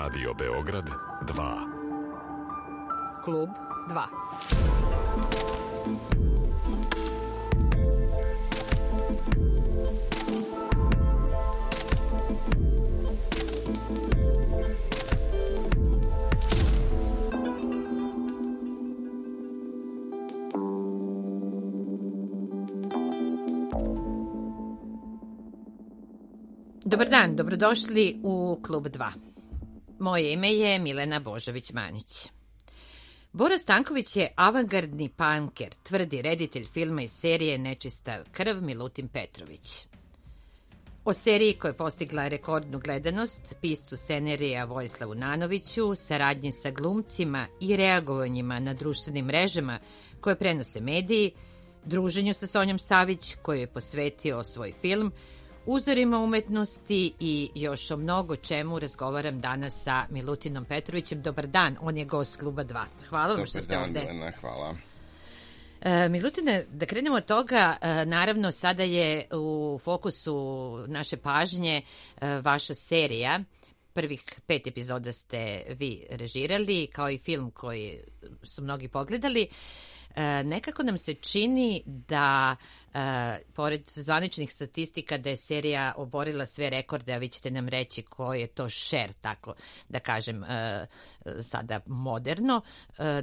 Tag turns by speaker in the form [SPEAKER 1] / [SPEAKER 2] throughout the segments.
[SPEAKER 1] Radio Beograd 2.
[SPEAKER 2] Klub 2. Dobar dan, dobrodošli u Klub 2. Moje ime je Milena Božović-Manić. Bora Stanković je avangardni panker, tvrdi reditelj filma iz serije Nečista krv Milutin Petrović. O seriji koja je postigla rekordnu gledanost, piscu scenarija Vojislavu Nanoviću, saradnji sa glumcima i reagovanjima na društvenim mrežama koje prenose mediji, druženju sa Sonjom Savić koju je posvetio svoj film, uzorima umetnosti i još o mnogo čemu razgovaram danas sa Milutinom Petrovićem. Dobar dan, on je gost Kluba 2. Hvala vam što ste ovde.
[SPEAKER 3] Dobar dan, Milena, hvala.
[SPEAKER 2] Milutine, da krenemo od toga, naravno sada je u fokusu naše pažnje vaša serija. Prvih 5 epizoda ste vi režirali, kao i film koji su mnogi pogledali. Nekako nam se čini da, pored zvaničnih statistika, da je serija oborila sve rekorde, a vi ćete nam reći koji je to share, tako da kažem, sada moderno.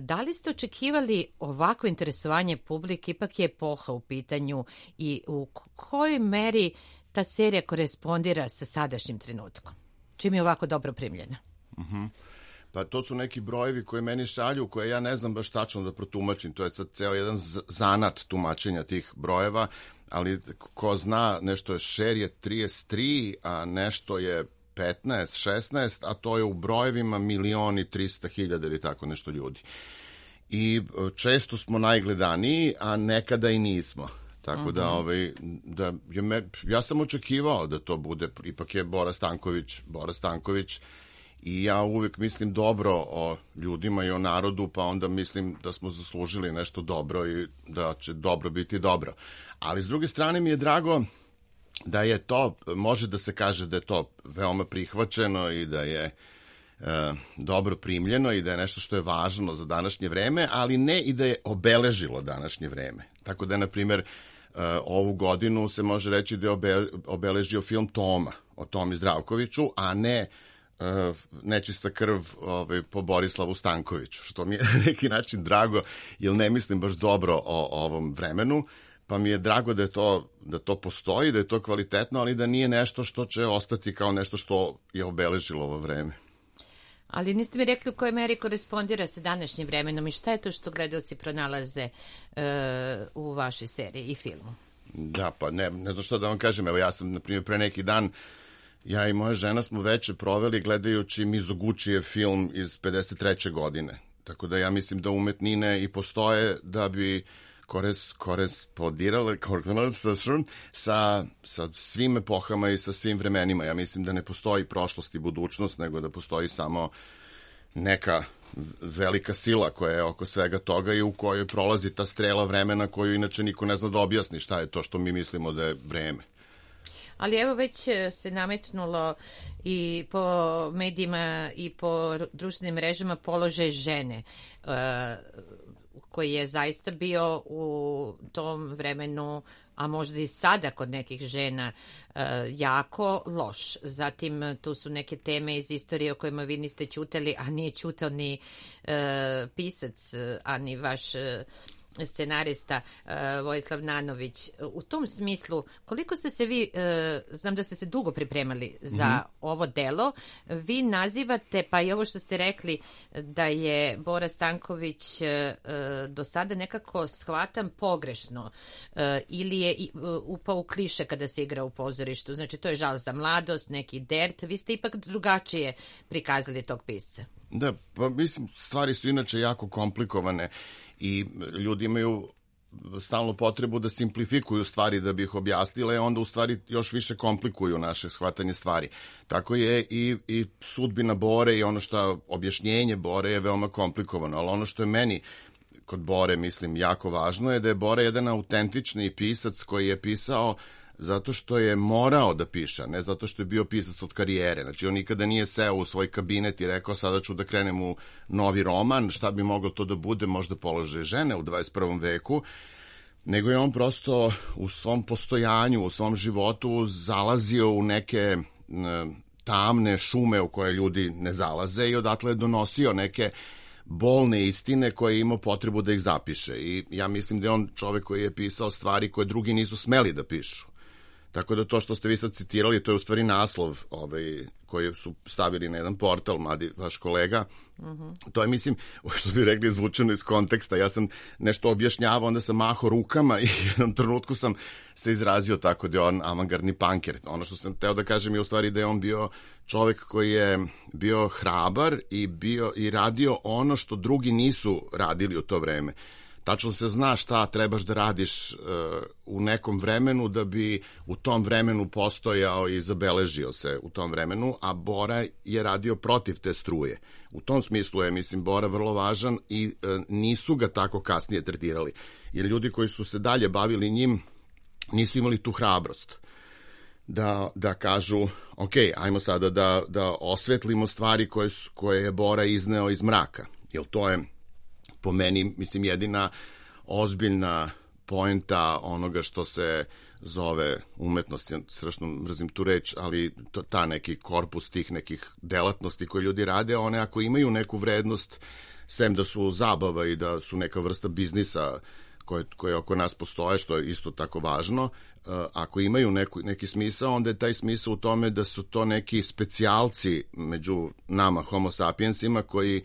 [SPEAKER 2] Da li ste očekivali ovako interesovanje publike? Ipak je epoha u pitanju i u kojoj meri ta serija korespondira sa sadašnjim trenutkom? Čim je ovako dobro primljena?
[SPEAKER 3] Pa to su neki brojevi koje meni šalju, koje ja ne znam baš tačno da protumačim. To je sad ceo jedan zanat tumačenja tih brojeva, ali ko zna, nešto je share je 33, a nešto je 15, 16, a to je u brojevima 1.300.000 ili tako nešto ljudi. I često smo najgledaniji, a nekada i nismo. Tako da, ja sam očekivao da to bude, ipak je Bora Stanković, i ja uvijek mislim dobro o ljudima i o narodu, pa onda mislim da smo zaslužili nešto dobro i da će dobro biti dobro. Ali s druge strane mi je drago da je to, može da se kaže da je to veoma prihvaćeno i da je dobro primljeno i da je nešto što je važno za današnje vreme, ali ne i da je obeležilo današnje vreme. Tako da je, na primjer, ovu godinu se može reći da je obeležio film Toma o Tomi Zdravkoviću, a ne Nečista krv po Borislavu Stankoviću, što mi je na neki način drago, jer ne mislim baš dobro o ovom vremenu, pa mi je drago da to postoji, da je to kvalitetno, ali da nije nešto što će ostati kao nešto što je obeležilo ovo vreme.
[SPEAKER 2] Ali niste mi rekli u kojoj meri korespondira sa današnjim vremenom i šta je to što gledalci pronalaze u vašoj seriji i filmu?
[SPEAKER 3] Da, pa ne znam što da vam kažem. Evo, ja sam, na primjer, pre neki dan, ja i moja žena smo veče proveli gledajući Mizogučijev film iz 53. godine. Tako da ja mislim da umetnine i postoje da bi korespondirale sa svim epohama i sa svim vremenima. Ja mislim da ne postoji prošlost i budućnost, nego da postoji samo neka velika sila koja je oko svega toga i u kojoj prolazi ta strela vremena koju inače niko ne zna da objasni šta je to što mi mislimo da je vreme.
[SPEAKER 2] Ali evo već se nametnulo i po medijima i po društvenim mrežama položaj žene, koji je zaista bio u tom vremenu, a možda i sada kod nekih žena, jako loš. Zatim tu su neke teme iz istorije o kojima vi niste ćutali, a nije ćutao ni pisac, a ni vaš scenarista Vojislav Nanović. U tom smislu, koliko ste se vi, znam da ste se dugo pripremali za ovo delo, vi nazivate, pa i ovo što ste rekli, da je Bora Stanković do sada nekako shvatan pogrešno ili je upao u kliše kada se igra u pozorištu. Znači, to je žal za mladost, neki dert. Vi ste ipak drugačije prikazali tog pisca.
[SPEAKER 3] Da, pa mislim, stvari su inače jako komplikovane i ljudi imaju stalno potrebu da simplifikuju stvari da bi ih objasnile, onda u stvari još više komplikuju naše shvatanje stvari. Tako je i sudbina Bore i ono što objašnjenje Bore je veoma komplikovano, ali ono što je meni kod Bore, mislim, jako važno je da je Bora jedan autentični pisac koji je pisao zato što je morao da piše, ne zato što je bio pisac od karijere. Znači, on nikada nije seo u svoj kabinet i rekao sada ću da krenem u novi roman, šta bi moglo to da bude, možda položaj žene u 21. veku, nego je on prosto u svom postojanju, u svom životu zalazio u neke tamne šume u koje ljudi ne zalaze i odatle je donosio neke bolne istine koje je imao potrebu da ih zapiše. I ja mislim da je on čovek koji je pisao stvari koje drugi nisu smeli da pišu. Tako da to što ste vi sad citirali, to je u stvari naslov koji su stavili na jedan portal, mladi vaš kolega. To je, mislim, što bi rekli, izvučeno iz konteksta. Ja sam nešto objašnjavao, onda sam mahao rukama i u jednom trenutku sam se izrazio tako da je on avangardni punker. Ono što sam teo da kažem je u stvari da je on bio čovek koji je bio hrabar i radio ono što drugi nisu radili u to vreme. Tačno se zna šta trebaš da radiš u nekom vremenu da bi u tom vremenu postojao i zabeležio se u tom vremenu, a Bora je radio protiv te struje. U tom smislu je, mislim, Bora vrlo važan i nisu ga tako kasnije tretirali. Jer ljudi koji su se dalje bavili njim nisu imali tu hrabrost da kažu, ok, ajmo sada da osvetlimo stvari koje je Bora izneo iz mraka. Jer to je po meni, mislim, jedina ozbiljna poenta onoga što se zove umetnost. Ja strašno mrzim tu reč, ali ta neki korpus tih nekih delatnosti koje ljudi rade, one ako imaju neku vrednost, sem da su zabava i da su neka vrsta biznisa koje oko nas postoje, što je isto tako važno, ako imaju neki smisao, onda je taj smisao u tome da su to neki specijalci među nama, homo sapiensima, koji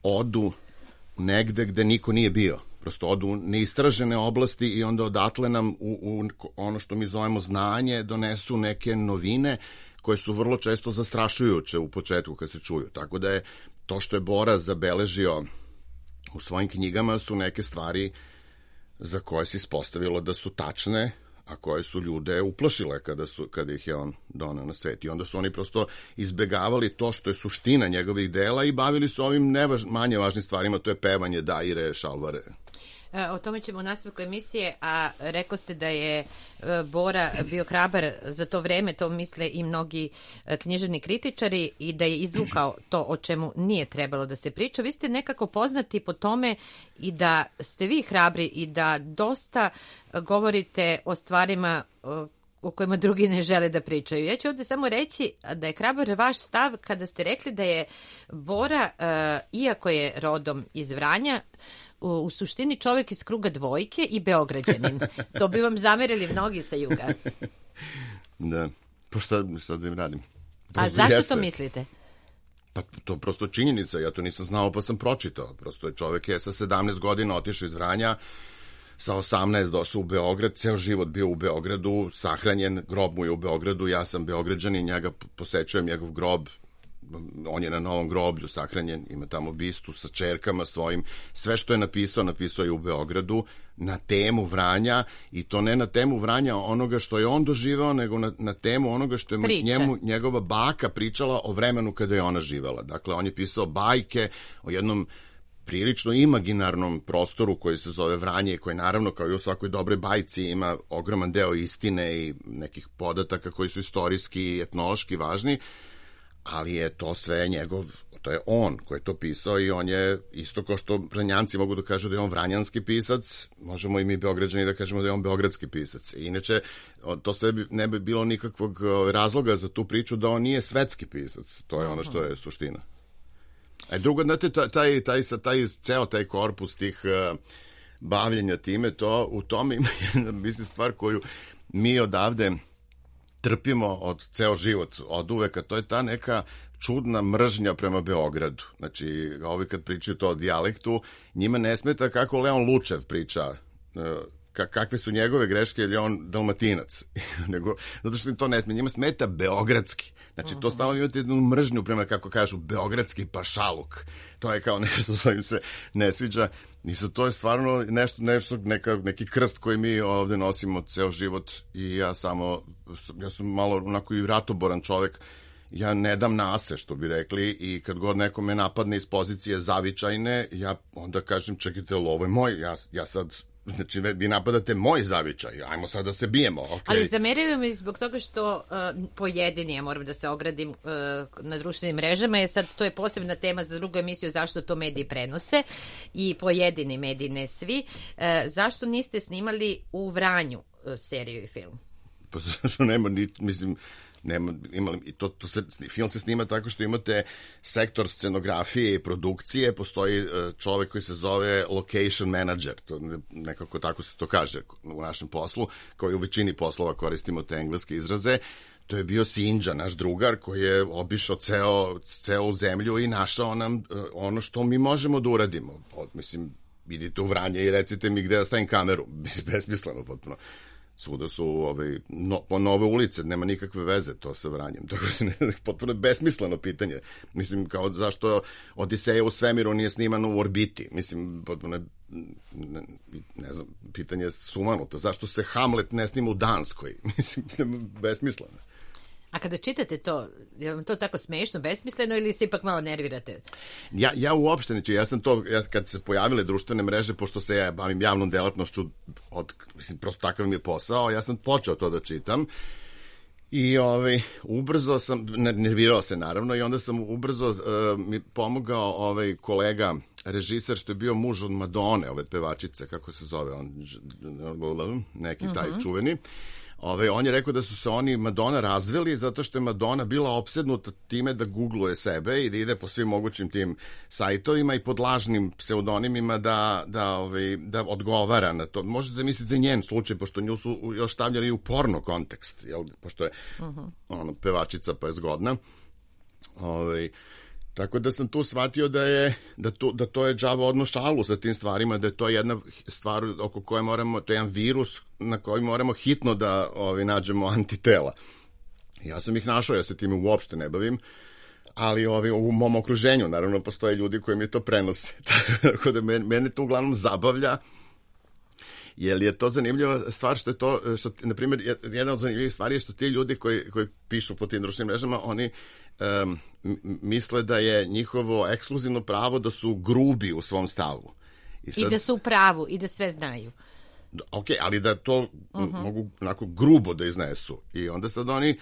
[SPEAKER 3] odu negde gde niko nije bio. Prosto odu u neistražene oblasti i onda odatle nam u ono što mi zovemo znanje donesu neke novine koje su vrlo često zastrašujuće u početku kad se čuju. Tako da je to što je Bora zabeležio u svojim knjigama su neke stvari za koje se ispostavilo da su tačne, a koje su ljude uplašile kada ih je on doneo na svet. I onda su oni prosto izbegavali to što je suština njegovih dela i bavili su ovim manje važnim stvarima, to je pevanje, daire, šalvare.
[SPEAKER 2] O tome ćemo u nastavku emisije, a rekao ste da je Bora bio hrabar za to vreme, to misle i mnogi književni kritičari, i da je izvukao to o čemu nije trebalo da se priča. Vi ste nekako poznati po tome i da ste vi hrabri i da dosta govorite o stvarima o kojima drugi ne žele da pričaju. Ja ću ovde samo reći da je hrabar vaš stav kada ste rekli da je Bora, iako je rodom iz Vranja, u suštini čovjek iz kruga dvojke i Beograđanin. To bi vam zamerili mnogi sa juga.
[SPEAKER 3] Da, pa šta sad da im radim?
[SPEAKER 2] A zašto to mislite?
[SPEAKER 3] Pa to prosto činjenica, ja to nisam znao pa sam pročitao. Prosto je čovjek sa 17 godina otišao iz Vranja, sa 18 došao u Beograd, ceo život bio u Beogradu, sahranjen, grob mu je u Beogradu, ja sam Beograđanin, njega posećujem njegov grob, on je na Novom groblju sahranjen, ima tamo bistu sa čerkama svojim, sve što je napisao je u Beogradu na temu Vranja, i to ne na temu Vranja onoga što je on doživao, nego na temu onoga što je njegova baka pričala o vremenu kada je ona živela. Dakle, on je pisao bajke o jednom prilično imaginarnom prostoru koji se zove Vranje i koji naravno kao i u svakoj dobroj bajci ima ogroman deo istine i nekih podataka koji su istorijski i etnološki važni, ali je to sve to je on koji je to pisao i on je isto kao što Vranjanci mogu da kažu da je on vranjanski pisac, možemo i mi Beograđani da kažemo da je on beogradski pisac. Inače, to sve ne bi bilo nikakvog razloga za tu priču da on nije svetski pisac, to je ono što je suština. Drugo, znate, ceo taj korpus tih bavljenja time, u tome ima jedna, mislim, stvar koju mi odavde trpimo od ceo život, od uveka, to je ta neka čudna mržnja prema Beogradu. Znači, ovi kad pričaju to o dijalektu, njima ne smeta kako Leon Lučev priča, kakve su njegove greške, ili on Dalmatinac. Nego, zato što im to ne smeta, njima smeta beogradski. Znači, to stalno imate jednu mržnju prema, kako kažu, beogradski pašaluk. To je kao nešto što im se ne sviđa. I sad to je stvarno neki krst koji mi ovde nosimo ceo život, i ja sam malo onako i ratoboran čovek. Ja ne dam nase, što bi rekli, i kad god neko me napadne iz pozicije zavičajne, ja onda kažem, čekajte, ovo je moj, ja sad znači vi napadate moj zavičaj, ajmo sad da se bijemo. Okay.
[SPEAKER 2] Ali zameraju mi zbog toga što pojedini, ja moram da se ogradim na društvenim mrežama, je sad to je posebna tema za drugu emisiju zašto to mediji prenose i pojedini mediji, ne svi. Zašto niste snimali u Vranju seriju i film?
[SPEAKER 3] Pa zašto nema, mislim, film se snima tako što imate sektor scenografije i produkcije, postoji čovek koji se zove location manager, to nekako tako se to kaže u našem poslu, kao i u većini poslova koristimo te engleske izraze. To je bio Sinđa, naš drugar, koji je obišao celu zemlju i našao nam ono što mi možemo da uradimo. Mislim, idite u Vranje i recite mi gde da stavim kameru. Mislim, besmisleno potpuno. Svuda su nove ulice, nema nikakve veze to sa Vranjem. Tako da potpuno besmisleno pitanje. Mislim, kao zašto Odiseja u svemiru nije snimano u orbiti. Mislim, potpuno ne znam, pitanje je sumanuto. Zašto se Hamlet ne snima u Danskoj? Mislim, besmisleno.
[SPEAKER 2] A kada čitate to, je vam to tako smešno, besmisleno ili se ipak malo nervirate?
[SPEAKER 3] Ja uopšte, znači, ja kad se pojavile društvene mreže, pošto se ja bavim javnom delatnošću, mislim, prosto takav mi je posao, ja sam počeo to da čitam i ubrzo sam, nervirao se naravno, i onda sam ubrzo mi pomogao kolega, režiser što je bio muž od Madone, ove pevačice, kako se zove on, neki taj čuveni. On je rekao da su se oni i Madonna razveli zato što je Madonna bila opsednuta time da googluje sebe i da ide po svim mogućim tim sajtovima i pod lažnim pseudonimima da odgovara na to. Možete da mislite njen slučaj, pošto nju su još stavljali u porno kontekst, jel? Pošto je pevačica pa je zgodna. Tako da sam tu shvatio da to je đavo odno šalu sa tim stvarima, da je to jedna stvar oko koje moramo, to je jedan virus na koji moramo hitno da nađemo antitela. Ja sam ih našao, ja se time uopšte ne bavim, ali u mom okruženju naravno postoje ljudi koji mi to prenose. Tako da mene to uglavnom zabavlja, jer je to zanimljiva stvar što je to, na primjer, jedna od zanimljivih stvari je što ti ljudi koji pišu po tim društvenim mrežama, oni misle da je njihovo ekskluzivno pravo da su grubi u svom stavu.
[SPEAKER 2] I da su u pravu i da sve znaju.
[SPEAKER 3] Ok, ali da to mogu onako grubo da iznesu. I onda sad oni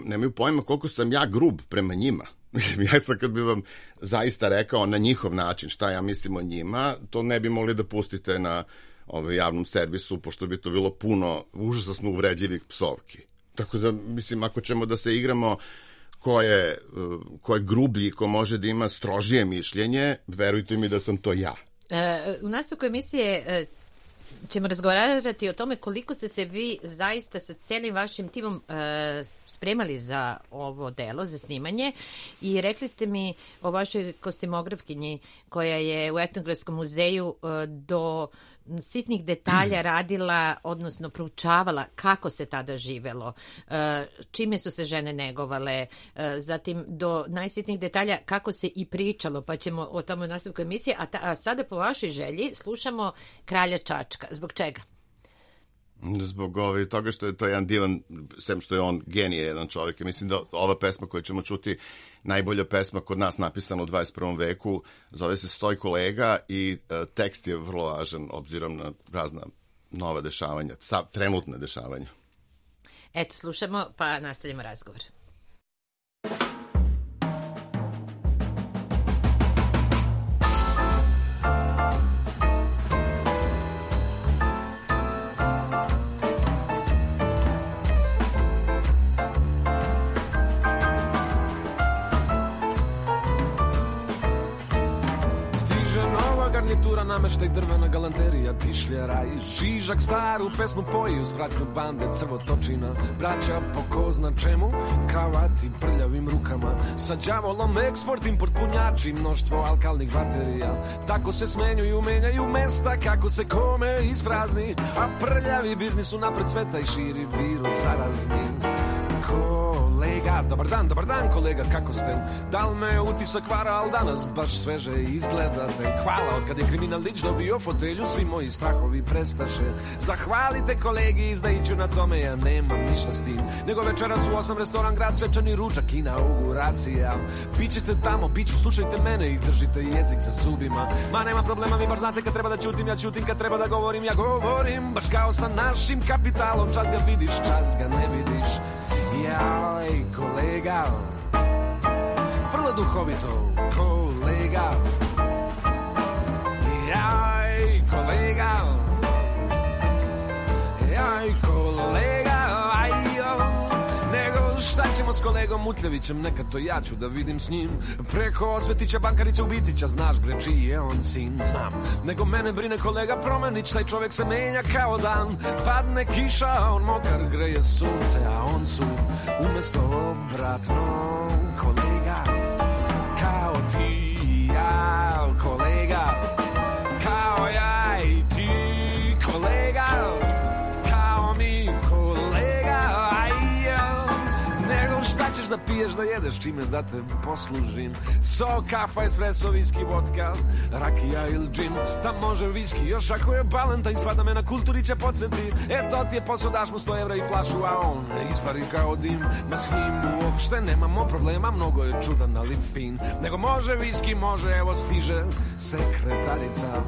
[SPEAKER 3] nemaju pojma koliko sam ja grub prema njima. Mislim, ja sad kad bi vam zaista rekao na njihov način šta ja mislim o njima, to ne bi mogli da pustite na javnom servisu, pošto bi to bilo puno užasno uvredljivih psovki. Tako da, mislim, ako ćemo da se igramo ko je grublji, ko može da ima strožije mišljenje, verujte mi da sam to ja.
[SPEAKER 2] U nastavku emisije ćemo razgovarati o tome koliko ste se vi zaista sa celim vašim timom spremali za ovo delo, za snimanje, i rekli ste mi o vašoj kostimografkinji koja je u Etnografskom muzeju do sitnih detalja radila, odnosno proučavala kako se tada živelo, čime su se žene negovale, zatim do najsitnijih detalja kako se i pričalo, pa ćemo o tome u nastavku emisije. A sada po vašoj želji slušamo Kralja Čačka. Zbog čega?
[SPEAKER 3] Zbog toga što je to jedan divan, sem što je on genije, jedan čovjek. Mislim da ova pesma koju ćemo čuti, najbolja pesma kod nas napisana u 21. veku, zove se Stojko Lega i tekst je vrlo važan obzirom na razna nova dešavanja, trenutne dešavanja.
[SPEAKER 2] Eto, slušamo pa nastavljamo razgovor.
[SPEAKER 4] Nameštaj drvena galanterija, tišljara i žižak staru pesmu poji uz pratnju bande crvotočina. Braća po ko zna čemu, kravati prljavim rukama, sa đavolom eksport, import, punjači, mnoštvo alkalnih baterija. Tako se smenjuju, menjaju mesta kako se kome isprazni, a prljavi biznis unapred sveta i širi virus zarazni. Kola kolega. Dobar dan kolega, kako ste? Da li me utisak vara, ali danas baš sveže izgledate. Hvala, od kad je kriminalić dobio fotelju, svi moji strahovi prestaše. Zahvalite kolegi, izdajiću na tome, ja nemam ništa s tim. Nego večeras u 8 restoran, grad, svečani ručak, inauguracija. Pićete tamo, piću, slušajte mene i držite jezik za zubima. Ma nema problema, vi bar znate kad treba da ćutim, ja ćutim, kad treba da govorim, ja govorim. Baš kao sa našim kapitalom, čas ga vidiš, čas ga ne vidiš. Jaj, kolega, vrlo duhovito, kolega. Jaj, kolega, jaj, kolega, nego šta ćemo s kolegom Mutljevićem, neka to ja ću da vidim s njim. Preko Osvetića, Bankarića, Ubicića, znaš bre čiji je on sin, znam. Nego mene brine kolega Promenić, taj čovjek se menja kao dan. Padne kiša, a on mokar, greje sunce, a on su umjesto obratno. Kolega, kao ti i ja, kolega, kao ja i ti, kolega, kao mi, kolega, nego šta ćeš da piješ, da jedeš, čime da te poslužim. Sok, kafa, espresso, viski, vodka, rakija ili džin. Tam može viski, još ako je Balentajn, svada me na kulturi će podsjeti. To ti je posao, daš mu 100 evra i flašu, a on ispari kao dim. Ma s njim uopšte nemamo problema, mnogo je čudan, ali fin. Nego može viski, može, evo stiže sekretarica.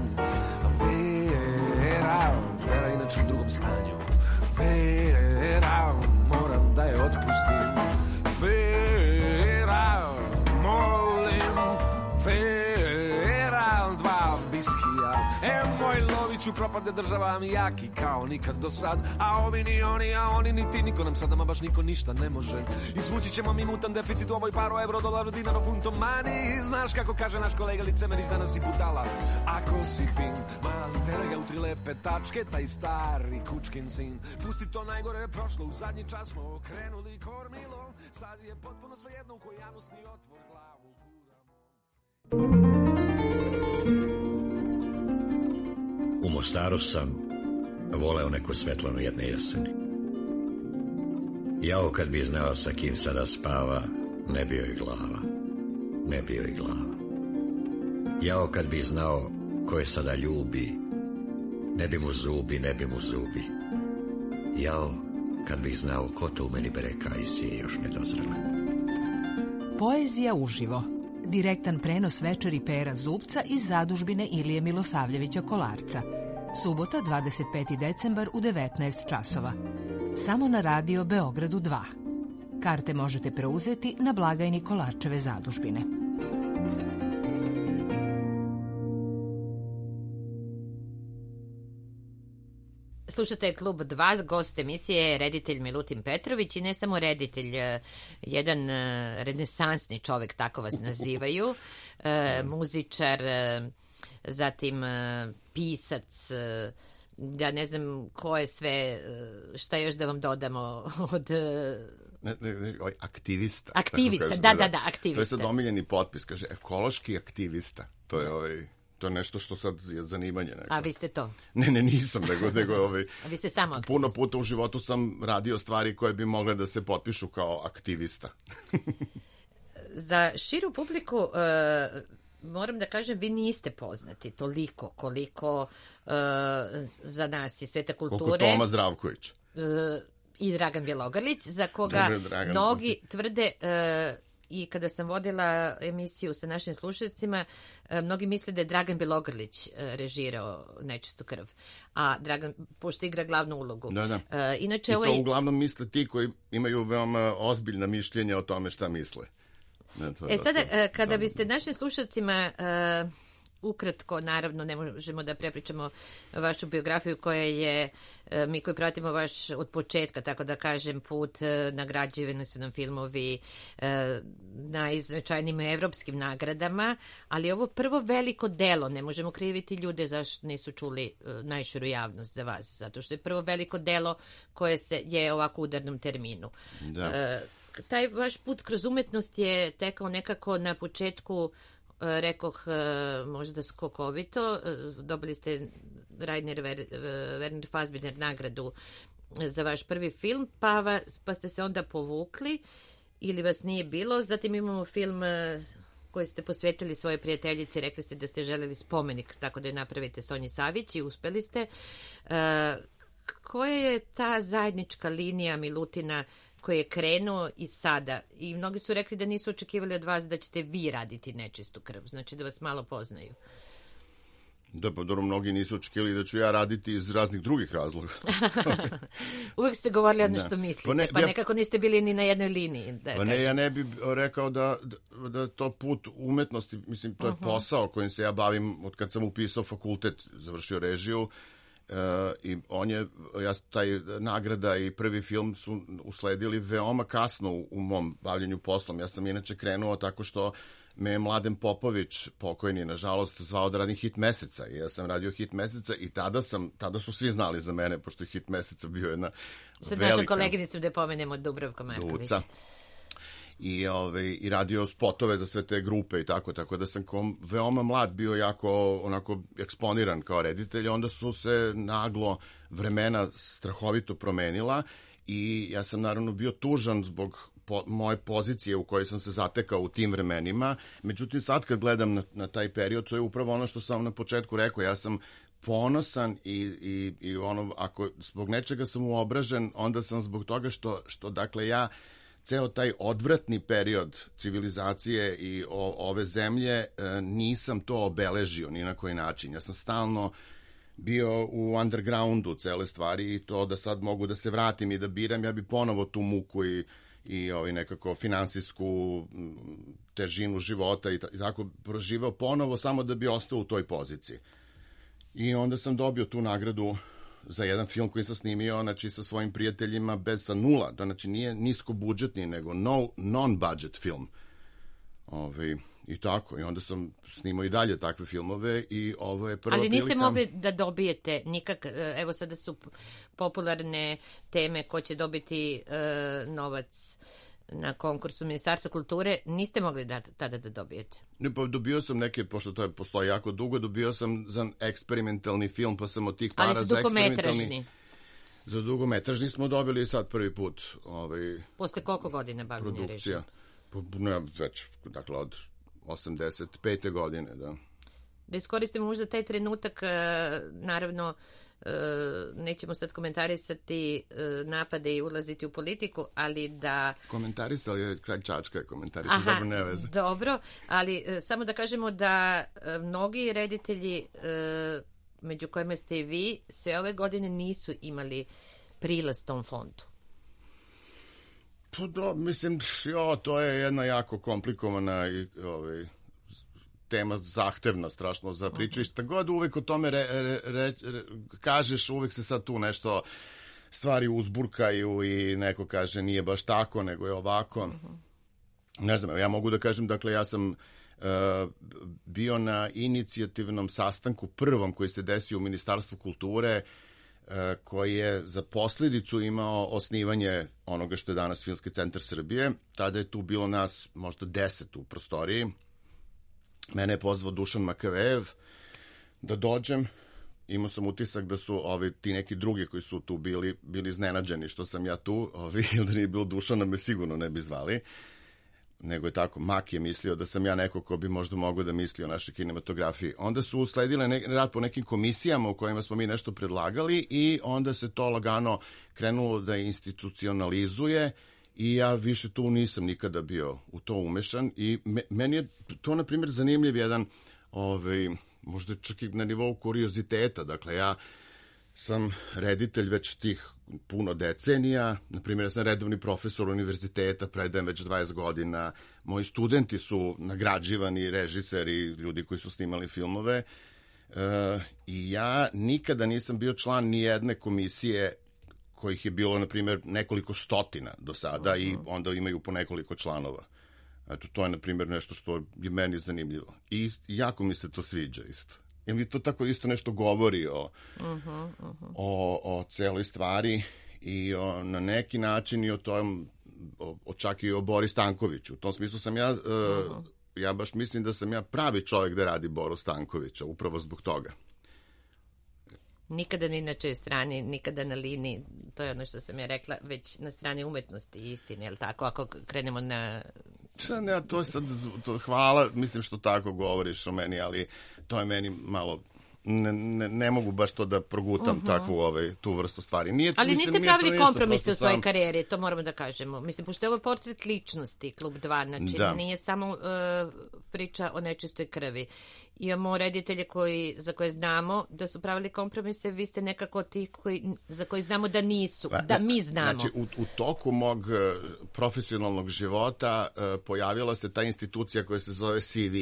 [SPEAKER 4] Vera inače u drugom stanju. Vera, moram da je otpustim. Vera, molim, Vera, 2 viskija. Moj Loviću, propade država mi jaki kao nikad do sad. A ovi ni oni, a oni ni ti, niko nam sad, ama baš niko ništa ne može. Izvući ćemo mi mutan deficit u ovoj paru, euro, dolar, dinaro, funto, mani. Znaš kako kaže naš kolega Licemerić, danas si budala. Ako si fin, mali tere ga u 3 lepe tačke, taj stari kučkin sin. Pusti to, najgore je prošlo, u zadnji čas smo okrenuli kormilo. Sad je potpuno svejedno u koji janusni otvor glavu guramo.
[SPEAKER 5] U Mostaru sam voleo neku Svetlanu jedne jeseni. Jao kad bi znao sa kim sada spava, ne bio i glava, ne bio i glava. Jao kad bi znao ko je sada ljubi, ne bi mu zubi, ne bi mu zubi. Jao kad bi znao ko to u meni bere kajsije još nedozrele.
[SPEAKER 6] Poezija uživo. Direktan prenos večeri Pera Zubca iz zadužbine Ilije Milosavljevića Kolarca. Subota, 25. decembar u 19 časova. Samo na radio Beogradu 2. Karte možete preuzeti na blagajni Kolarčeve zadužbine.
[SPEAKER 2] Slušate Klub 2, gost emisije je reditelj Milutin Petrović i ne samo reditelj, jedan renesansni čovek, tako vas nazivaju, muzičar, zatim pisac, ja ne znam ko je sve, šta još da vam dodamo od...
[SPEAKER 3] Aktivista.
[SPEAKER 2] Aktivista, da, aktivista.
[SPEAKER 3] To je sad omiljeni potpis, kaže ekološki aktivista, to je to je nešto što sad je zanimanje. Neko.
[SPEAKER 2] A vi ste to?
[SPEAKER 3] Ne, nisam, nego
[SPEAKER 2] A vi ste samo aktivista?
[SPEAKER 3] Puno puta u životu sam radio stvari koje bi mogle da se potpišu kao aktivista.
[SPEAKER 2] Za širu publiku, moram da kažem, vi niste poznati toliko koliko za nas i sveta kulture.
[SPEAKER 3] Koliko Toma Zdravković.
[SPEAKER 2] I Dragan Bjelogrlić, za koga mnogi tvrde... I kada sam vodila emisiju sa našim slušalcima, mnogi misle da je Dragan Bjelogrlić režirao Nečistu krv, a Dragan, pošto igra glavnu ulogu.
[SPEAKER 3] Da.
[SPEAKER 2] Inače,
[SPEAKER 3] I to uglavnom misle ti koji imaju veoma ozbiljna mišljenja o tome šta misle.
[SPEAKER 2] Sada, kada biste našim slušalcima... Ukratko, naravno, ne možemo da prepričamo vašu biografiju koja je, mi koji pratimo vaš od početka, tako da kažem, put, nagrađivani su nam filmovi najznačajnijim evropskim nagradama, ali ovo prvo veliko delo, ne možemo kriviti ljude zašto nisu čuli najširu javnost za vas, zato što je prvo veliko delo koje je ovako u udarnom terminu.
[SPEAKER 3] Da.
[SPEAKER 2] Taj vaš put kroz umetnost je tekao nekako na početku, rekoh, možda skokovito. Dobili ste Werner Fassbinder nagradu za vaš prvi film, pa ste se onda povukli ili vas nije bilo. Zatim imamo film koji ste posvetili svoje prijateljici, rekli ste da ste želeli spomenik, tako da je napravite Sonji Savić i uspeli ste. Koja je ta zajednička linija Milutina koji je krenuo i sada? I mnogi su rekli da nisu očekivali od vas da ćete vi raditi Nečistu krv, znači da vas malo poznaju.
[SPEAKER 3] Da, pa dobro, mnogi nisu očekivali da ću ja raditi iz raznih drugih razloga.
[SPEAKER 2] Uvijek ste govorili ono što mislite, pa nekako niste bili ni na jednoj liniji.
[SPEAKER 3] Ja ne bih rekao da to put umetnosti, mislim, to je posao kojim se ja bavim od kad sam upisao fakultet, završio režiju, i taj nagrada i prvi film su usledili veoma kasno u mom bavljenju poslom. Ja sam inače krenuo tako što me je Mladen Popović, pokojni, nažalost, zvao da radim Hit meseca. I ja sam radio Hit meseca i tada su svi znali za mene, pošto je Hit meseca bio jedna
[SPEAKER 2] sad velika... Sad našu koleginicu da pomenemo, Dubravka Marković.
[SPEAKER 3] Duca. I radio spotove za sve te grupe i tako da sam veoma mlad bio jako onako eksponiran kao reditelj. Onda su se naglo vremena strahovito promenila i ja sam naravno bio tužan zbog moje pozicije u kojoj sam se zatekao u tim vremenima. Međutim, sad kad gledam na taj period, to je upravo ono što sam na početku rekao. Ja sam ponosan i ono, ako zbog nečega sam uobražen, onda sam zbog toga što dakle, ja ceo taj odvratni period civilizacije i ove zemlje nisam to obeležio ni na koji način. Ja sam stalno bio u undergroundu cele stvari i to da sad mogu da se vratim i da biram, ja bi ponovo tu muku i nekako finansijsku težinu života i tako proživao ponovo samo da bi ostao u toj poziciji. I onda sam dobio tu nagradu za jedan film koji sam snimio, znači sa svojim prijateljima sa nula, znači nije niskobudžetni, nego non-budget film. I tako, i onda sam snimao i dalje takve filmove i ovo je prva prilika.
[SPEAKER 2] Ali niste mogli da dobijete nikak, evo sada su popularne teme ko će dobiti novac na konkursu Ministarstva kulture, niste mogli tada da dobijete?
[SPEAKER 3] Ne, pa dobio sam neke, pošto to postoji jako dugo, dobio sam za eksperimentalni film, pa sam od tih para za eksperimentalni... Za dugometražni smo dobili sad prvi put.
[SPEAKER 2] Posle koliko godina bavljenja režijom?
[SPEAKER 3] Ne, već, dakle, od 85. godine, da.
[SPEAKER 2] Da iskoristimo možda taj trenutak, naravno, nećemo sad komentarisati napade i ulaziti u politiku, ali da...
[SPEAKER 3] Komentarisali je kraj Čačka, komentarisali, dobro, ne veze.
[SPEAKER 2] Dobro, ali samo da kažemo da mnogi reditelji, među kojima ste i vi, sve ove godine nisu imali prilaz tom fondu.
[SPEAKER 3] Pa da, mislim, to je jedna jako komplikovana i tema, zahtevna strašno za priču. I šta god uvek o tome kažeš, uvek se sad tu nešto stvari uzburkaju i neko kaže nije baš tako, nego je ovako. Ne znam, ja mogu da kažem, dakle, ja sam bio na inicijativnom sastanku prvom koji se desio u Ministarstvu kulture, koji je za posljedicu imao osnivanje onoga što je danas Filmski centar Srbije. Tada je tu bilo nas možda 10 u prostoriji. Mene je pozvao Dušan Makavejev da dođem. Imao sam utisak da su ti neki drugi koji su tu bili iznenađeni što sam ja tu. Ili da nije bilo Dušana, me sigurno ne bi zvali. Nego je tako, Mak je mislio da sam ja neko ko bi možda mogao da misli o našoj kinematografiji. Onda su usledile rad po nekim komisijama u kojima smo mi nešto predlagali i onda se to lagano krenulo da institucionalizuje i ja više tu nisam nikada bio u to umešan i meni je to, na primjer, zanimljiv jedan, možda čak i na nivou kurioziteta. Dakle, ja sam reditelj već tih puno decenija, na primjer, ja sam redovni profesor univerziteta, predajem već 20 godina, moji studenti su nagrađivani režiseri, ljudi koji su snimali filmove, i ja nikada nisam bio član ni jedne komisije kojih je bilo, na primjer, nekoliko stotina do sada i onda imaju po nekoliko članova. Eto, to je, na primjer, nešto što je meni zanimljivo. I jako mi se to sviđa isto. Jer mi to tako isto nešto govori o celoj stvari i na neki način i o tom, čak i o Bori Stankoviću. U tom smislu sam ja baš mislim da sam ja pravi čovjek da radi Boru Stankovića, upravo zbog toga.
[SPEAKER 2] Nikada ni na čoj strani, nikada na liniji, to je ono što sam ja rekla, već na strani umetnosti i istine, je li tako, ako krenemo na...
[SPEAKER 3] Ne, to je sad, hvala, mislim što tako govoriš o meni, ali to je meni malo... Ne mogu baš to da progutam takvu tu vrstu stvari.
[SPEAKER 2] Ali niste pravili kompromise u svojoj karijeri, to moramo da kažemo. Mislim, pošto je ovo portret ličnosti, Klub 2, znači nije samo priča o nečistoj krvi. Imamo reditelje za koje znamo da su pravili kompromise, vi ste nekako ti za koji znamo da nisu, da mi znamo.
[SPEAKER 3] Znači, u toku mog profesionalnog života pojavila se ta institucija koja se zove CV.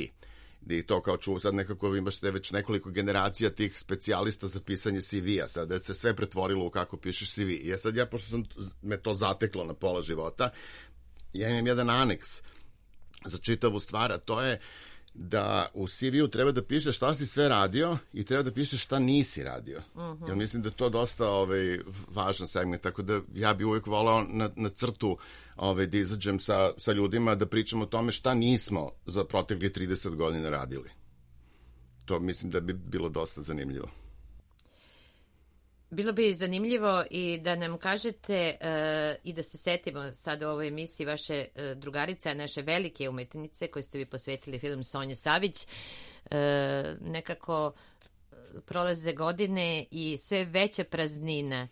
[SPEAKER 3] I to kao sad nekako imaš već nekoliko generacija tih specijalista za pisanje CV-a, sad da se sve pretvorilo u kako pišeš CV. I sad pošto me to zateklo na pola života, ja imam jedan aneks za čitavu stvar, a to je da u CV-u treba da pišeš šta si sve radio i treba da pišeš šta nisi radio. Ja mislim da je to dosta važan segment, tako da ja bi uvijek volao na crtu da izađem sa ljudima da pričamo o tome šta nismo za protekli 30 godina radili. To mislim da bi bilo dosta zanimljivo.
[SPEAKER 2] Bilo bi zanimljivo i da nam kažete i da se setimo sad u ovoj emisiji vaše drugarice, naše velike umetnice koje ste vi posvetili film Sonje Savić. Nekako prolaze godine i sve veća praznina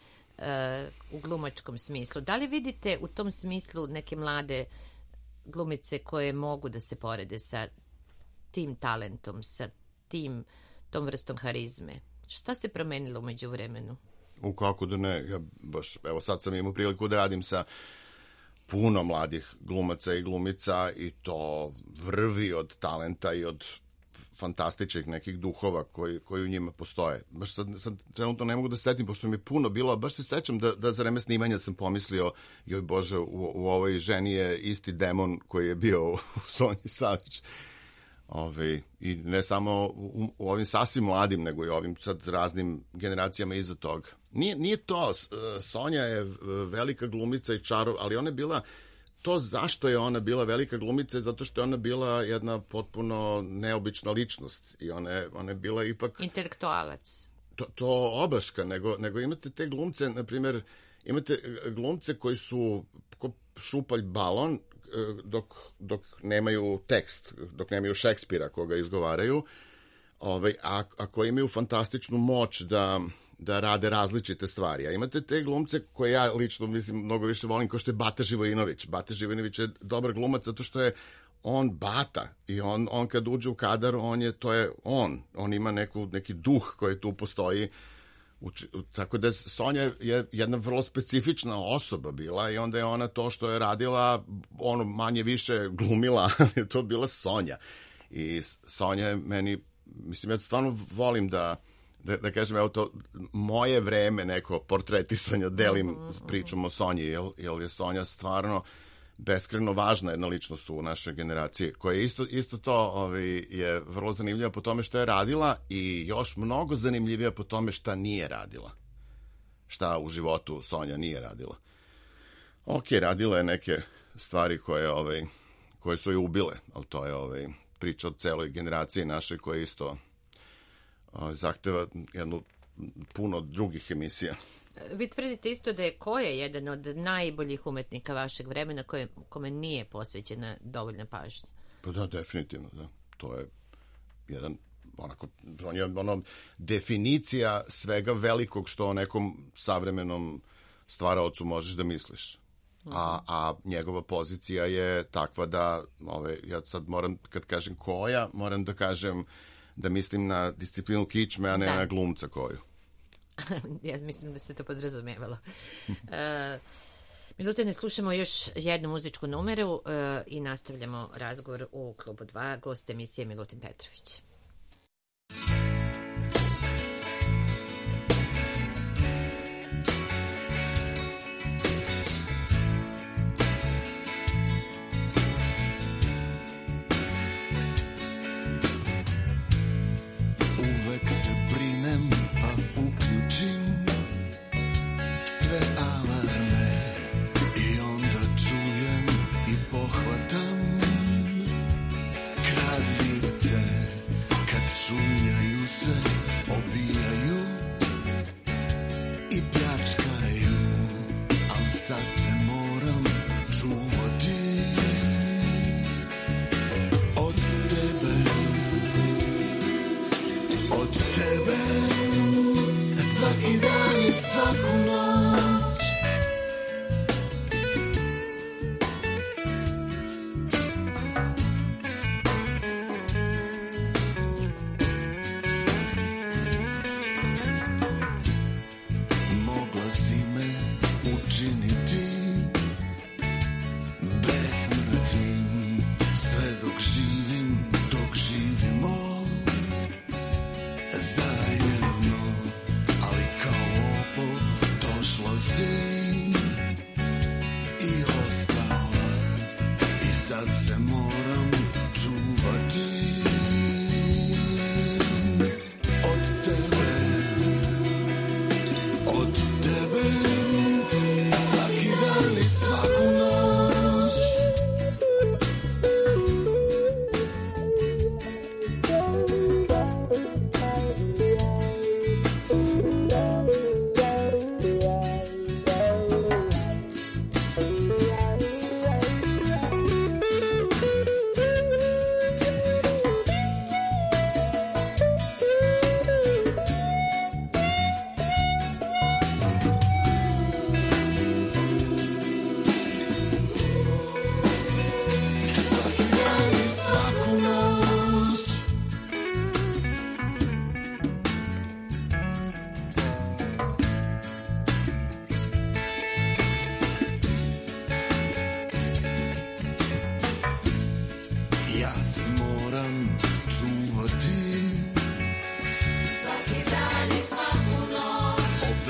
[SPEAKER 2] u glumačkom smislu. Da li vidite u tom smislu neke mlade glumice koje mogu da se porede sa tim talentom, sa tom vrstom harizme? Šta se promenilo umeđu vremenu?
[SPEAKER 3] Kako da ne, ja baš, evo sad sam imao priliku da radim sa puno mladih glumaca i glumica i to vrvi od talenta i od fantastičnih nekih duhova koji u njima postoje. Baš sad trenutno ne mogu da se setim, pošto mi je puno bilo, baš se sećam da za vreme snimanja sam pomislio, joj Bože, u ovoj ženi je isti demon koji je bio u Sonji Savić. I ne samo u ovim sasvim mladim, nego i ovim sad raznim generacijama iza toga. Nije to, Sonja je velika glumica i čarov, ali ona je bila, to zašto je ona bila velika glumica, zato što je ona bila jedna potpuno neobična ličnost i ona je bila ipak...
[SPEAKER 2] Intelektualac.
[SPEAKER 3] To obaška, nego imate te glumce, na primjer, imate glumce koji su ko šupalj balon, dok nemaju tekst, dok nemaju Šekspira koga izgovaraju, a koji imaju fantastičnu moć da rade različite stvari. A imate te glumce koje ja lično mislim mnogo više volim, kao što je Bata Živojinović. Bata Živojinović je dobar glumac zato što je on Bata i on kad uđe u kadar, on ima neki duh koji tu postoji. Tako da Sonja je jedna vrlo specifična osoba bila i onda je ona to što je radila, manje više glumila, ali je to bila Sonja. I Sonja je meni, mislim, ja stvarno volim da kažem, evo to moje vreme neko portretisanja delim s pričom o Sonji, jer je Sonja stvarno beskrajno važna jedna ličnost u našoj generaciji, koja je isto to je vrlo zanimljiva po tome što je radila i još mnogo zanimljivija po tome šta nije radila. Šta u životu Sonja nije radila. Radila je neke stvari koje su je ubile, ali to je priča o celoj generaciji našoj koja isto zahteva jednu puno drugih emisija.
[SPEAKER 2] Vi tvrdite isto da je Koja jedan od najboljih umetnika vašeg vremena kome nije posvećena dovoljna pažnja.
[SPEAKER 3] Pa da, definitivno, da. To je jedan, on je definicija svega velikog što o nekom savremenom stvaraocu možeš da misliš. A njegova pozicija je takva da, ja sad moram, kad kažem Koja, moram da kažem da mislim na disciplinu kičme, a ne na glumca Koju.
[SPEAKER 2] Ja mislim da se to podrazumevalo. Milutine, slušamo još jednu muzičku numeru i nastavljamo razgovor u Klubu 2. Gost emisije Milutin Petrović.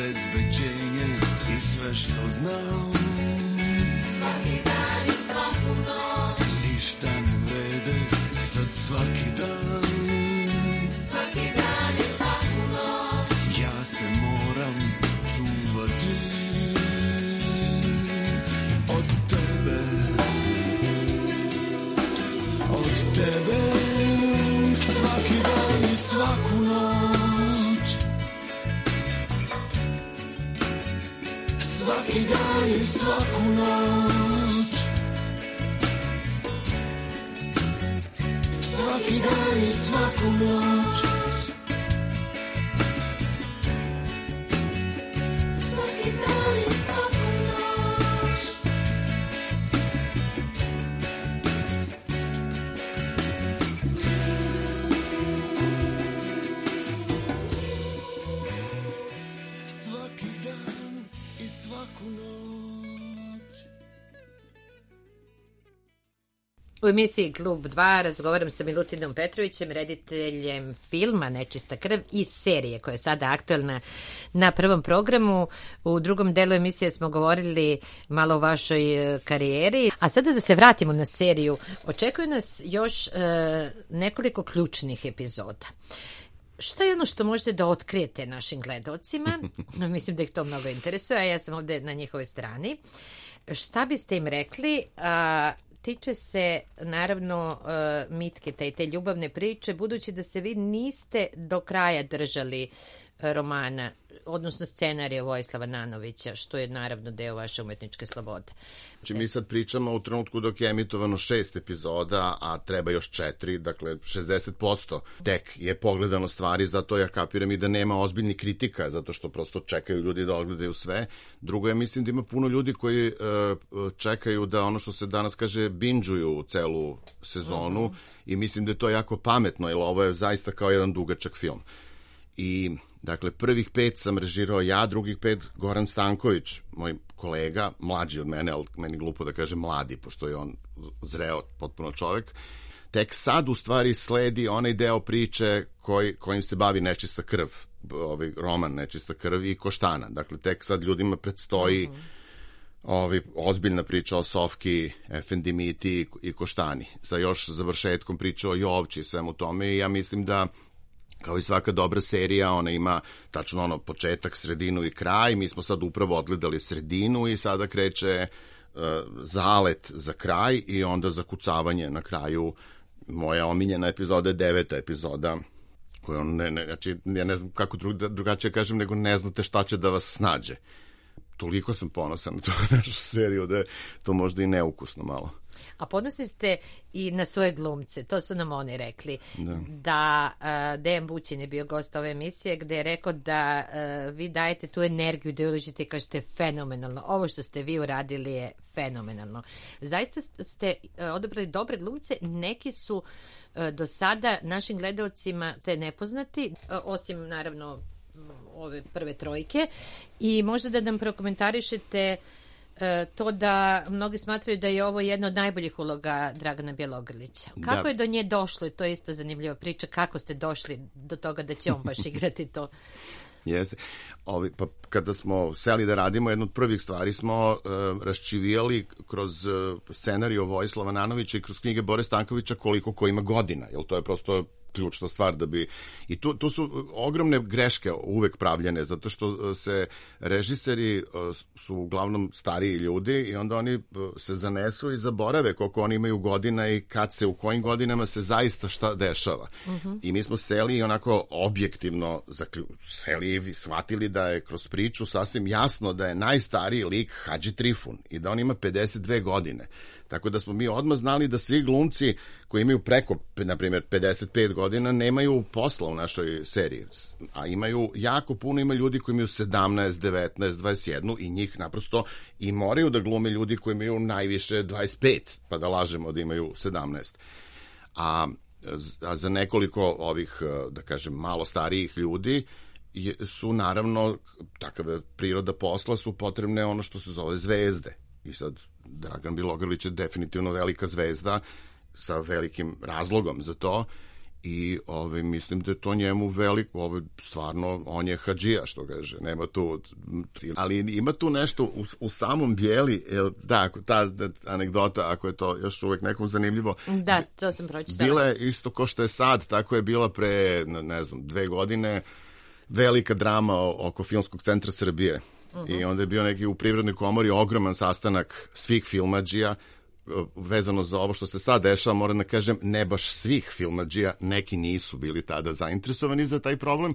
[SPEAKER 7] obezbeđenje i sve što znam.
[SPEAKER 8] Svaki dan i svaku noć.
[SPEAKER 7] Ništa ne vrede sad svaki dan.
[SPEAKER 8] Svaki dan i svaku noć.
[SPEAKER 7] Ja se moram čuvati od tebe. Od tebe. Svaki dan i svaku noć. Svaki dan i svaku noć. Svaki dan i svaku noć.
[SPEAKER 8] Svaki dan i svaku noć.
[SPEAKER 7] Svaki dan i svaku noć.
[SPEAKER 2] U emisiji Klub 2 razgovaram sa Milutinom Petrovićem, rediteljem filma Nečista krv i serije koja je sada aktuelna na prvom programu. U drugom delu emisije smo govorili malo o vašoj karijeri. A sada da se vratimo na seriju. Očekuje nas još nekoliko ključnih epizoda. Šta je ono što možete da otkrijete našim gledalcima? Mislim da ih to mnogo interesuje, a ja sam ovde na njihovoj strani. Šta biste im rekli? Tiče se naravno Mitketa i te ljubavne priče, budući da se vi niste do kraja držali romana, odnosno scenarija Vojislava Nanovića, što je naravno deo vaše umetničke slobode.
[SPEAKER 3] Znači, mi sad pričamo u trenutku dok je emitovano 6 epizoda, a treba još 4, dakle 60% tek je pogledano stvari, zato ja kapiram i da nema ozbiljnih kritika, zato što prosto čekaju ljudi da odgledaju sve. Drugo, ja mislim da ima puno ljudi koji čekaju da ono što se danas kaže binđuju celu sezonu i mislim da je to jako pametno, jer ovo je zaista kao jedan dugačak film. I, dakle, prvih 5 sam režirao ja, drugih 5 Goran Stanković, moj kolega, mlađi od mene, ali meni glupo da kaže mladi, pošto je on zreo potpuno čovek. Tek sad, u stvari, sledi onaj deo priče kojim se bavi Nečista krv, ovaj roman Nečista krv i Koštana. Dakle, tek sad ljudima predstoji ozbiljna priča o Sofki, Efendimiti i Koštani, sa još završetkom priče o Jovči i svemu tome. I ja mislim da kao i svaka dobra serija, ona ima tačno početak, sredinu i kraj. Mi smo sad upravo odgledali sredinu i sada kreće zalet za kraj i onda zakucavanje na kraju. Moja omiljena epizoda je 9. epizoda, koja znači, ja ne znam kako drugačije kažem, nego ne znate šta će da vas snađe. Toliko sam ponosan na tu našu seriju da je to možda i neukusno malo.
[SPEAKER 2] A ponosni ste i na svoje glumce, to su nam oni rekli. Da Dejan Bućin je bio gost ove emisije gde je rekao da vi dajete tu energiju, da uložite i kažete fenomenalno. Ovo što ste vi uradili je fenomenalno. Zaista ste odabrali dobre glumce, neki su do sada našim gledalcima te nepoznati, osim naravno ove prve trojke, i možda da nam prokomentarišete to da mnogi smatraju da je ovo jedna od najboljih uloga Dragana Bjelogrlića. Kako je do nje došlo? To je isto zanimljiva priča. Kako ste došli do toga da će on baš igrati to?
[SPEAKER 3] Jeste. Pa kada smo seli da radimo, jednu od prvih stvari smo raščivijali kroz scenariju Vojislava Nanovića i kroz knjige Bore Stankovića koliko ko ima godina, jer to je prosto ključna stvar da bi... I tu su ogromne greške uvek pravljene, zato što se režiseri su uglavnom stariji ljudi i onda oni se zanesu i zaborave koliko oni imaju godina i kad se, u kojim godinama se zaista šta dešava. I mi smo seli i onako objektivno seli i shvatili da je kroz priču sasvim jasno da je najstariji lik Hadži Trifun i da on ima 52 godine. Tako da smo mi odmah znali da svi glumci koji imaju preko, na primjer, 55 godina nemaju posla u našoj seriji. A jako puno ima ljudi koji imaju 17, 19, 21 i njih naprosto i moraju da glume ljudi koji imaju najviše 25, pa da lažemo da imaju 17. A za nekoliko ovih, da kažem, malo starijih ljudi su naravno, takav je priroda posla, su potrebne ono što se zove zvezde. I sad Dragan Bjelogrlić je definitivno velika zvezda sa velikim razlogom za to I mislim da je to njemu veliko, stvarno, on je hadžija, što kaže, nema tu, ali ima tu nešto u samom Bijeli, da, ta anegdota, ako je to još uvijek nekom zanimljivo.
[SPEAKER 2] Da, to sam pročitala.
[SPEAKER 3] Bila je isto ko što je sad, tako je bila pre, ne znam, 2 godine, velika drama oko Filmskog centra Srbije. I onda je bio neki u Privrednoj komori ogroman sastanak svih filmadžija, vezano za ovo što se sad dešava, moram da kažem, ne baš svih filmadžija, neki nisu bili tada zainteresovani za taj problem.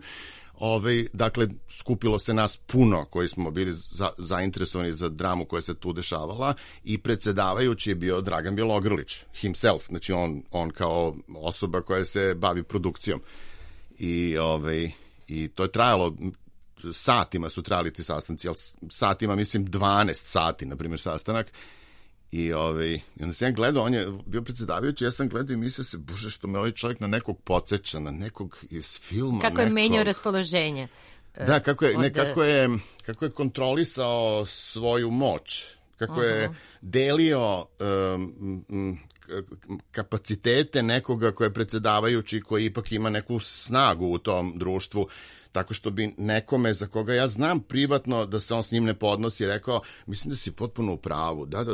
[SPEAKER 3] Dakle, skupilo se nas puno koji smo bili zainteresovani za dramu koja se tu dešavala i predsjedavajući je bio Dragan Bjelogrlić, himself, znači on kao osoba koja se bavi produkcijom. I to je trajalo, satima su trajali ti sastanci, ali satima, mislim, 12 sati, na primjer, sastanak. I onda sam ja gledao, on je bio predsjedavajući, ja sam gledao i mislio se, bože, što me ovaj čovjek na nekog podsjeća, na nekog iz filma.
[SPEAKER 2] Kako je menjao raspoloženje.
[SPEAKER 3] Da, kako je kontrolisao svoju moć, kako je delio kapacitete nekoga koji je predsjedavajući, koji ipak ima neku snagu u tom društvu, tako što bi nekome za koga ja znam privatno da se on s njim ne podnosi rekao, mislim da si potpuno u pravu, da,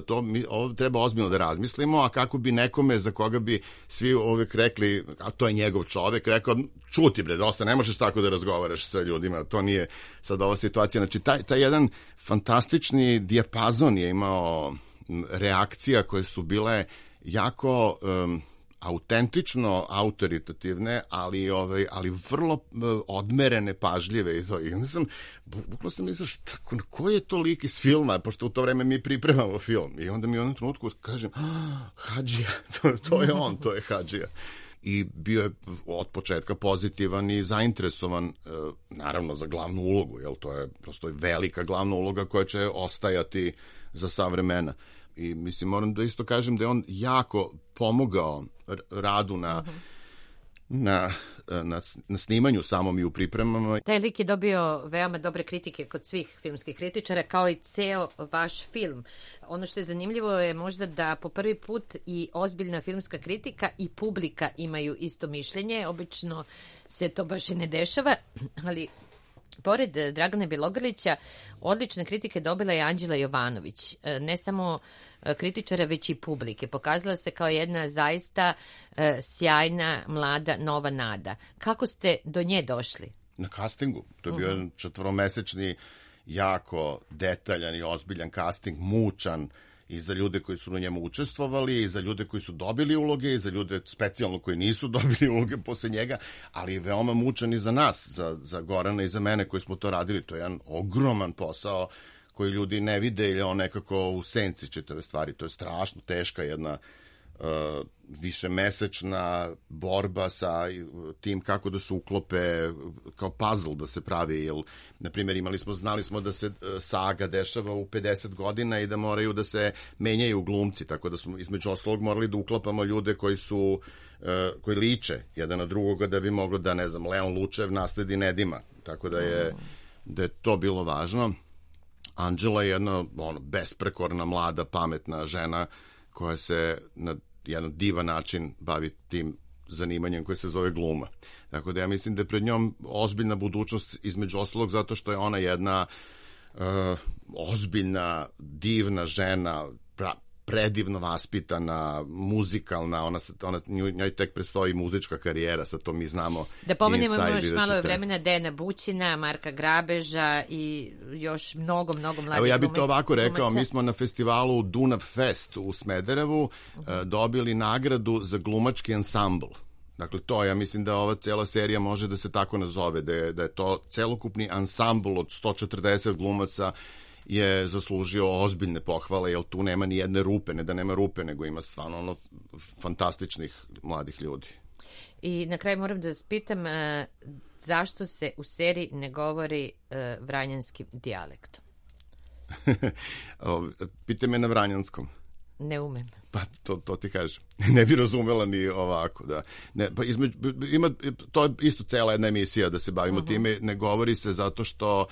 [SPEAKER 3] ovo treba ozbiljno da razmislimo, a kako bi nekome za koga bi svi uvijek rekli, a to je njegov čovek, rekao, čuti bre, dosta, ne možeš tako da razgovaraš sa ljudima, to nije sad ova situacija. Znači, taj jedan fantastični dijapazon je imao reakcija koje su bile jako autentično autoritativne, ali vrlo odmerene, pažljive i to. I onda bukvalno sam mislio, koji je to lik iz filma, pošto u to vreme mi pripremamo film. I onda mi u jednom trenutku kažem, hadžija, to je on, to je hadžija. I bio je od početka pozitivan i zainteresovan, naravno, za glavnu ulogu, jer to je prosto velika glavna uloga koja će ostajati za sva vremena. I mislim, moram da isto kažem da je on jako pomogao radu na snimanju samom i u pripremama.
[SPEAKER 2] Taj lik je dobio veoma dobre kritike kod svih filmskih kritičara, kao i ceo vaš film. Ono što je zanimljivo je možda da po prvi put i ozbiljna filmska kritika i publika imaju isto mišljenje. Obično se to baš i ne dešava, ali pored Dragana Bjelogrlića, odlične kritike dobila je Anđela Jovanović. Ne samo kritičara, već i publike. Pokazala se kao jedna zaista sjajna, mlada, nova nada. Kako ste do nje došli?
[SPEAKER 3] Na castingu. To je bio jedan 4-mesečni, jako detaljan i ozbiljan casting, mučan i za ljude koji su na njemu učestvovali, i za ljude koji su dobili uloge, i za ljude specijalno koji nisu dobili uloge posle njega, ali je veoma mučan i za nas, za Gorana i za mene koji smo to radili. To je jedan ogroman posao koji ljudi ne vide ili on nekako u senci čitave stvari. To je strašno teška jedna višemesečna borba sa tim kako da se uklope, kao puzzle da se pravi, jer, na primjer, znali smo da se saga dešava u 50 godina i da moraju da se menjaju glumci, tako da smo između ostalog morali da uklapamo ljude koji liče jedan na drugoga da bi moglo da, ne znam, Leon Lučev nasledi Nedima, tako da je to bilo važno. Anđela je jedna besprekorna, mlada, pametna žena koja se na jedan divan način bavi tim zanimanjem koje se zove gluma. Tako da ja mislim da je pred njom ozbiljna budućnost, između ostalog zato što je ona jedna ozbiljna, divna žena, predivno vaspitana, muzikalna, njoj tek predstoji muzička karijera, sad to mi znamo.
[SPEAKER 2] Da pomenemo još malo vremena Dejana Bućina, Marka Grabeža i još mnogo mladih.
[SPEAKER 3] Evo, ja bih to ovako rekao, mi smo na festivalu Dunav Fest u Smederevu dobili nagradu za glumački ansambl. Dakle, to, ja mislim da ova cela serija može da se tako nazove, da je to celokupni ansambl od 140 glumaca je zaslužio ozbiljne pohvale, jer tu nema ni jedne rupe, ne da nema rupe, nego ima stvarno fantastičnih mladih ljudi.
[SPEAKER 2] I na kraju moram da vas pitam, zašto se u seriji ne govori vranjanskim dijalektom?
[SPEAKER 3] Pite me na vranjanskom.
[SPEAKER 2] Ne umem.
[SPEAKER 3] Pa to ti kažem. Ne bi razumela ni ovako, da. Ne, pa to je isto cela jedna emisija da se bavimo time, ne govori se zato što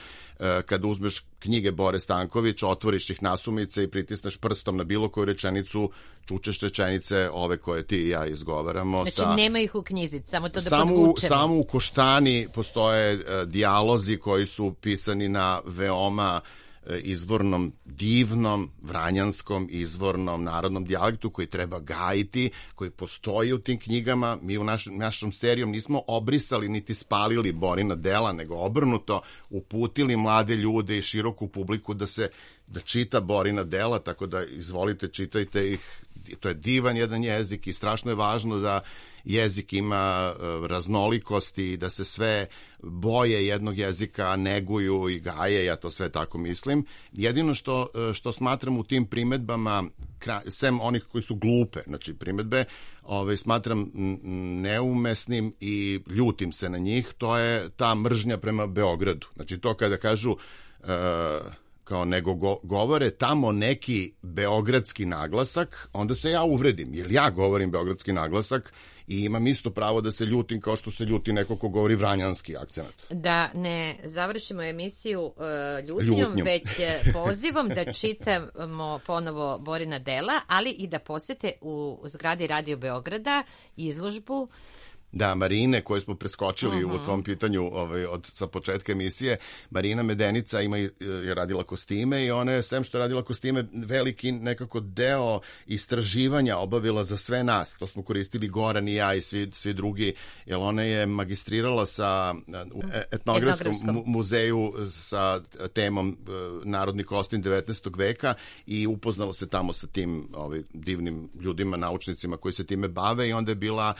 [SPEAKER 3] kad uzmeš knjige Bore Stankovića, otvoriš ih nasumice i pritisneš prstom na bilo koju rečenicu, čučeš rečenice ove koje ti i ja izgovaramo.
[SPEAKER 2] Znači nema ih u knjizi, samo to da podvučemo.
[SPEAKER 3] Samo u Koštani postoje dijalozi koji su pisani na veoma izvornom, divnom, vranjanskom, izvornom, narodnom dijalektu koji treba gajiti, koji postoji u tim knjigama. Mi u našom serijom nismo obrisali niti spalili Borina dela, nego obrnuto uputili mlade ljude i široku publiku da čita Borina dela, tako da izvolite, čitajte ih. To je divan jedan jezik i strašno je važno da jezik ima raznolikosti i da se sve boje jednog jezika neguju i gaje, ja to sve tako mislim. Jedino što smatram u tim primedbama, sem onih koji su glupe, znači primedbe, smatram neumesnim i ljutim se na njih, to je ta mržnja prema Beogradu. Znači to kada kažu kao nego govore tamo neki beogradski naglasak, onda se ja uvredim, jer ja govorim beogradski naglasak i imam isto pravo da se ljutim kao što se ljuti neko ko govori vranjanski akcenat.
[SPEAKER 2] Da ne završimo emisiju ljutnjom, već pozivom da čitamo ponovo Borina dela, ali i da posete u zgradi Radio Beograda izložbu
[SPEAKER 3] Da, Marine, koje smo preskočili u tom pitanju sa početka emisije, Marina Medenica je radila kostime i ona je, sem što je radila kostime, veliki nekako deo istraživanja obavila za sve nas. To smo koristili Goran i ja i svi drugi, jer ona je magistrirala u etnografskom muzeju sa temom Narodni kostim 19. veka i upoznala se tamo sa tim divnim ljudima, naučnicima koji se time bave i onda je bila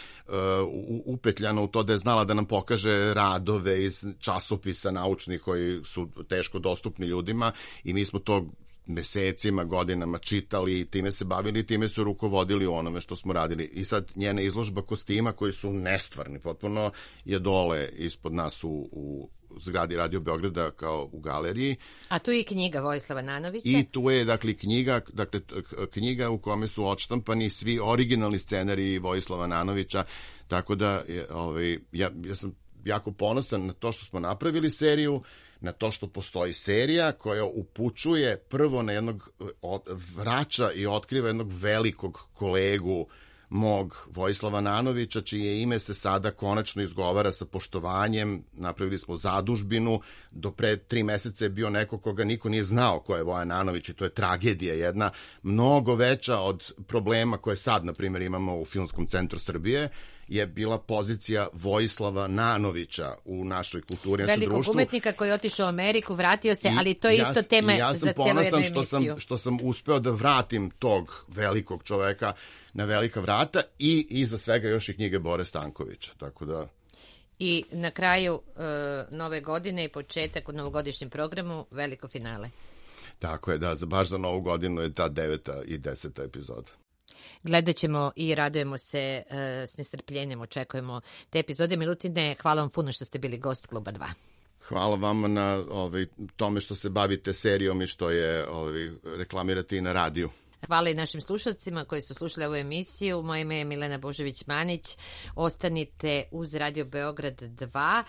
[SPEAKER 3] upetljana u to da je znala da nam pokaže radove iz časopisa naučnih koji su teško dostupni ljudima i mi smo to mesecima, godinama čitali i time se bavili i time su rukovodili u onome što smo radili. I sad njena izložba kostima koji su nestvarni, potpuno je dole ispod nas u zgradi Radio Beograda kao u galeriji.
[SPEAKER 2] A tu je i knjiga Vojislava Nanovića.
[SPEAKER 3] I tu je knjiga u kome su odštampani svi originalni scenariji Vojislava Nanovića, tako da ja sam jako ponosan na to što smo napravili seriju, na to što postoji serija koja upućuje prvo na vraća i otkriva jednog velikog kolegu mog Vojislava Nanovića, čije ime se sada konačno izgovara sa poštovanjem. Napravili smo zadužbinu, do pre 3 meseca je bio neko koga niko nije znao ko je Vojan Nanović i to je tragedija jedna, mnogo veća od problema koje sad, na primjer, imamo u Filmskom centru Srbije, je bila pozicija Vojislava Nanovića u našoj kulturi, našem društvu.
[SPEAKER 2] Velikog umetnika koji je otišao u Ameriku, vratio se, ali to je isto tema za cijelu jednu emisiju. Ja sam ponosan što sam uspeo da vratim tog velikog čoveka na velika vrata i iza svega još i knjige Bore Stankovića, tako da... I na kraju nove godine i početak u novogodišnjem programu, veliko finale.
[SPEAKER 3] Tako je, da, baš za novu godinu je ta 9. i 10. epizoda.
[SPEAKER 2] Gledat ćemo i radujemo se s nestrpljenjem, očekujemo te epizode. Milutine, hvala vam puno što ste bili gost Kluba 2.
[SPEAKER 3] Hvala vama na tome što se bavite serijom i što je reklamirate i na radiju.
[SPEAKER 2] Hvala i našim slušalcima koji su slušali ovu emisiju. Moje ime je Milena Božović-Manić. Ostanite uz Radio Beograd 2.